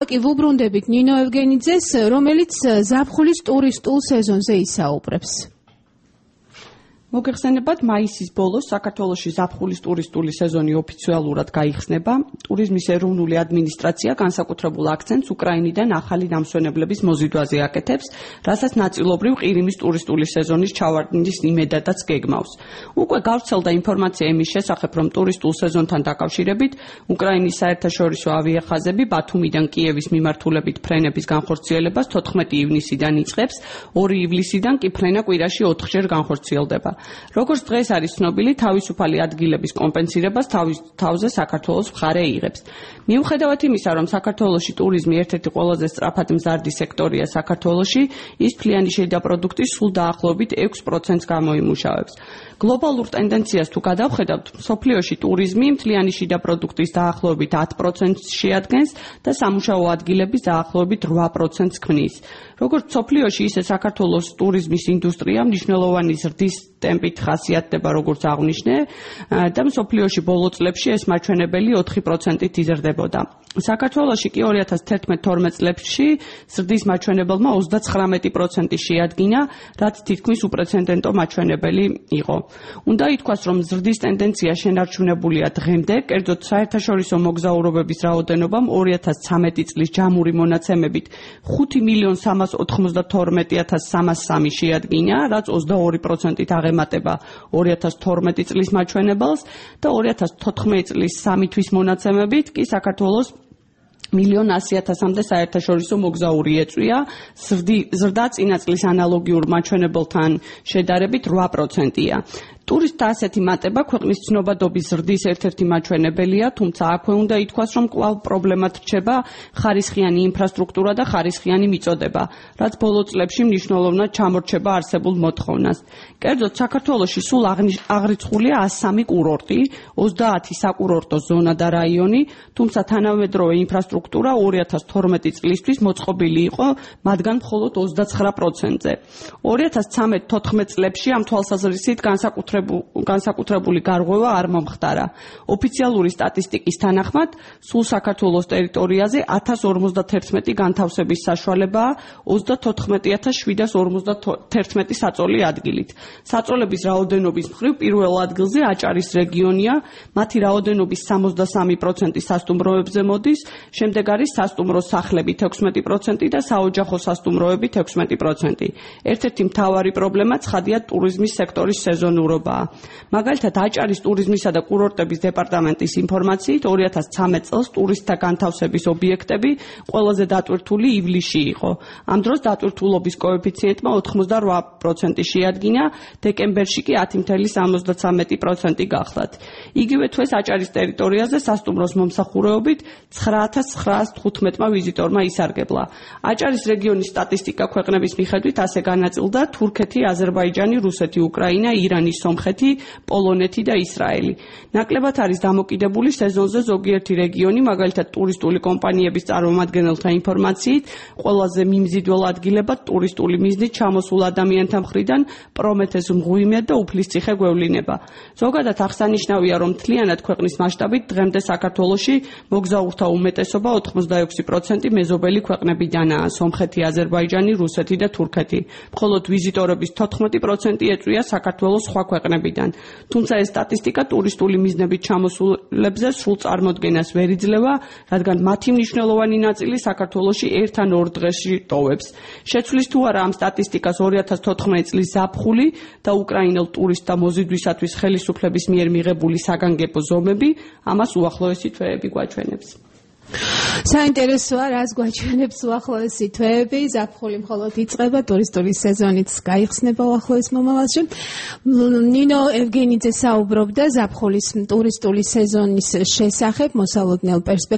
კი ვუბრუნდებით ნინო ევგენიძეს, რომელიც ზაფხულის ტურისტულ სეზონზე ისაუბრებს. მოგეხსენებათ, მაისის ბოლოს საქართველოში ზაფხულის ტურისტული სეზონი ოფიციალურად გაიხსნება. ტურიზმის ეროვნული ადმინისტრაცია განსაკუთრებულ აქცენტს უკრაინიდან ახალი დამსვენებლების მოზიდვაზე აკეთებს, რასაც ნაწილობრივ ყირიმის ტურისტული სეზონის ჩავარდნის იმედადაც გეგმავს. უკვე გავრცელდა ინფორმაცია იმის შესახებ, რომ ტურისტულ სეზონთან დაკავშირებით უკრაინის საერთაშორისო ავიახაზები ბათუმიდან კიევის მიმართულებით ფრენების განხორციელებას 14 ივნისიდან იწყებს, 2 ივლისიდან კი ფრენა კვირაში 4-ჯერ განხორციელდება. როგორც დღეს არის ცნობილი, თავისუფალი ადგილების კომპენსირებას თავზე საქართველოს მხარე იღებს. მიუხედავად იმისა, რომ საქართველოში ტურიზმი ერთ-ერთი ყველაზე სწრაფად მზარდი სექტორია საქართველოში, ის მთლიანი შედაპროდუქტის სულ დაახლოებით 6%-ს გამოიმუშავებს. გლობალურ ტენდენციას თუ გადავხედავთ, მსოფლიოში ტურიზმი მთლიანი შედაპროდუქტის დაახლოებით 10%-ს შეადგენს და სამუშაო ადგილების დაახლოებით 8%-ს ქმნის. როგორც მსოფლიოში, ისე საქართველოს ტურიზმის ინდუსტრია მნიშვნელოვანი ზრდის ტემპით ხასიათდება, როგორც აღვნიშნე, და მსოფლიოში ბოლო წლებში ეს მაჩვენებელი 4%-ით იზრდებოდა. საქართველოში კი 2011-12 წლებში ზრდის მაჩვენებელმა 39% შეადგინა, რაც თითქმის უპრეცედენტო მაჩვენებელი იყო. უნდა ითქვას, რომ ზრდის ტენდენცია შენარჩუნებულია დღემდე, კერძოდ საერთაშორისო მოგზაურობების რაოდენობამ 2013 წლის ჯამური მონაცემებით 5.392.303 შეადგინა, რაც 22%-ით აღემატება 2012 წლის მაჩვენებელს და 2014 წლის 3 თვის მონაცემებით კი საქართველოს 1.100.000-მდე საერთაშორისო მოგზაური ეწვია, ზრდა წინა წლის ანალოგიურ მაჩვენებელთან შედარებით 8%-ია. ტურისტთა ასეთი მატება ქვეყნის ცნობადობის ზრდის ერთ-ერთი მაჩვენებელია, თუმცა აქვე უნდა ითქვას, რომ კვლავ პრობლემად რჩება ხარისხიანი ინფრასტრუქტურა და ხარისხიანი მიწოდება, რაც ბოლო წლებში მნიშვნელოვნად ჩამორჩება არსებულ მოთხოვნას. კერძოდ, საქართველოში სულ აღრიცხულია 103 კურორტი, 30 საკურორტო ზონა და რაიონი, თუმცა თანამედროვე ინფრასტრუქტურა 2012 წლისთვის მოწყობილი იყო მათგან მხოლოდ 29%-ზე. 2013-14 წლებში ამ თვალსაზრისით განსაკუთრებული გარღვევა არ მომხდარა. ოფიციალური სტატისტიკის თანახმად, სულ საქართველოს ტერიტორიაზე 1051 განთავსების საშუალებაა 34751 საწოლი ადგილით. საწოლების რაოდენობის მხრივ პირველ ადგილზე აჭარის რეგიონია, მათი რაოდენობის 63% სასტუმროებზე მოდის, შემდეგ არის სასტუმრო სახლები 16% და საოჯახო სასტუმროები 16%. ერთ-ერთი მთავარი პრობლემა ცხადია ტურიზმის სექტორის სეზონურობა. მაგალითად, აჭარის ტურიზმისა და კურორტების დეპარტამენტის ინფორმაციით 2013 წელს ტურისტთა განთავსების ობიექტები ყველაზე დატვირთული ივლისში იყო. ამ დროს დატვირთულობის კოეფიციენტმა 88% შეადგინა, დეკემბერში კი 10.73% გახლდათ. იგივე თვეს აჭარის ტერიტორიაზე სასტუმროს მომსახურეობით 9915 ვიზიტორმა ისარგებლა. აჭარის რეგიონის სტატისტიკა ქვეყნების მიხედვით ასე განაწილდა თურქეთი, აზერბაიჯანი, რუსეთი, უკრაინა, ირანი, სომხეთი, პოლონეთი და ისრაელი. ნაკლებად არის დამოკიდებული სეზონზე ზოგიერთი რეგიონი, მაგალითად ტურისტული კომპანიების წარმომადგენელთა ინფორმაციით, ყველაზე მიმზიდველ ადგილებად ტურისტული მიზნით ჩამოსულ ადამიანთა მხრიდან პრომეთეს მღვიმე და უფლისციხე გვევლინება. ზოგადად აღსანიშნავია, რომ მთლიანად ქვეყნის მასშტაბით დღემდე საქართველოში მოგზაურთა უმეტესობა 86% მეზობელი ქვეყნებიდანაა, სომხეთი, აზერბაიჯანი, რუსეთი და თურქეთი. მხოლოდ ვიზიტორების 14% ეწვია საქართველოს სხვა ქვეყნებიდან. თუმცა ეს სტატისტიკა ტურისტული მიზნებით ჩამოსულებზე სრულ წარმოდგენას ვერ იძლევა, რადგან მათი მნიშვნელოვანი ნაწილი საქართველოში 1 ან 2 დღეში ტოვებს. შეცვლის თუ არა ამ სტატისტიკას 2014 წლის ზაფხული და უკრაინელ ტურისტთა მოზიდვისათვის ხელისუფლების მიერ მიღებული საგანგებო ზომები, ამას უახლოესი თვეები გვაჩვენებს. საინტერესოა, რას გვაჩვენებს უახლოესი თვეები, ზაფხული მხოლოდ იწყება, ტურისტული სეზონიც გაიხსნება უახლოეს მომავალში. ნინო ევგენიძე საუბრობდა ზაფხულის ტურისტული სეზონის შესახებ, მოსალოდნელ პერსპექტივას.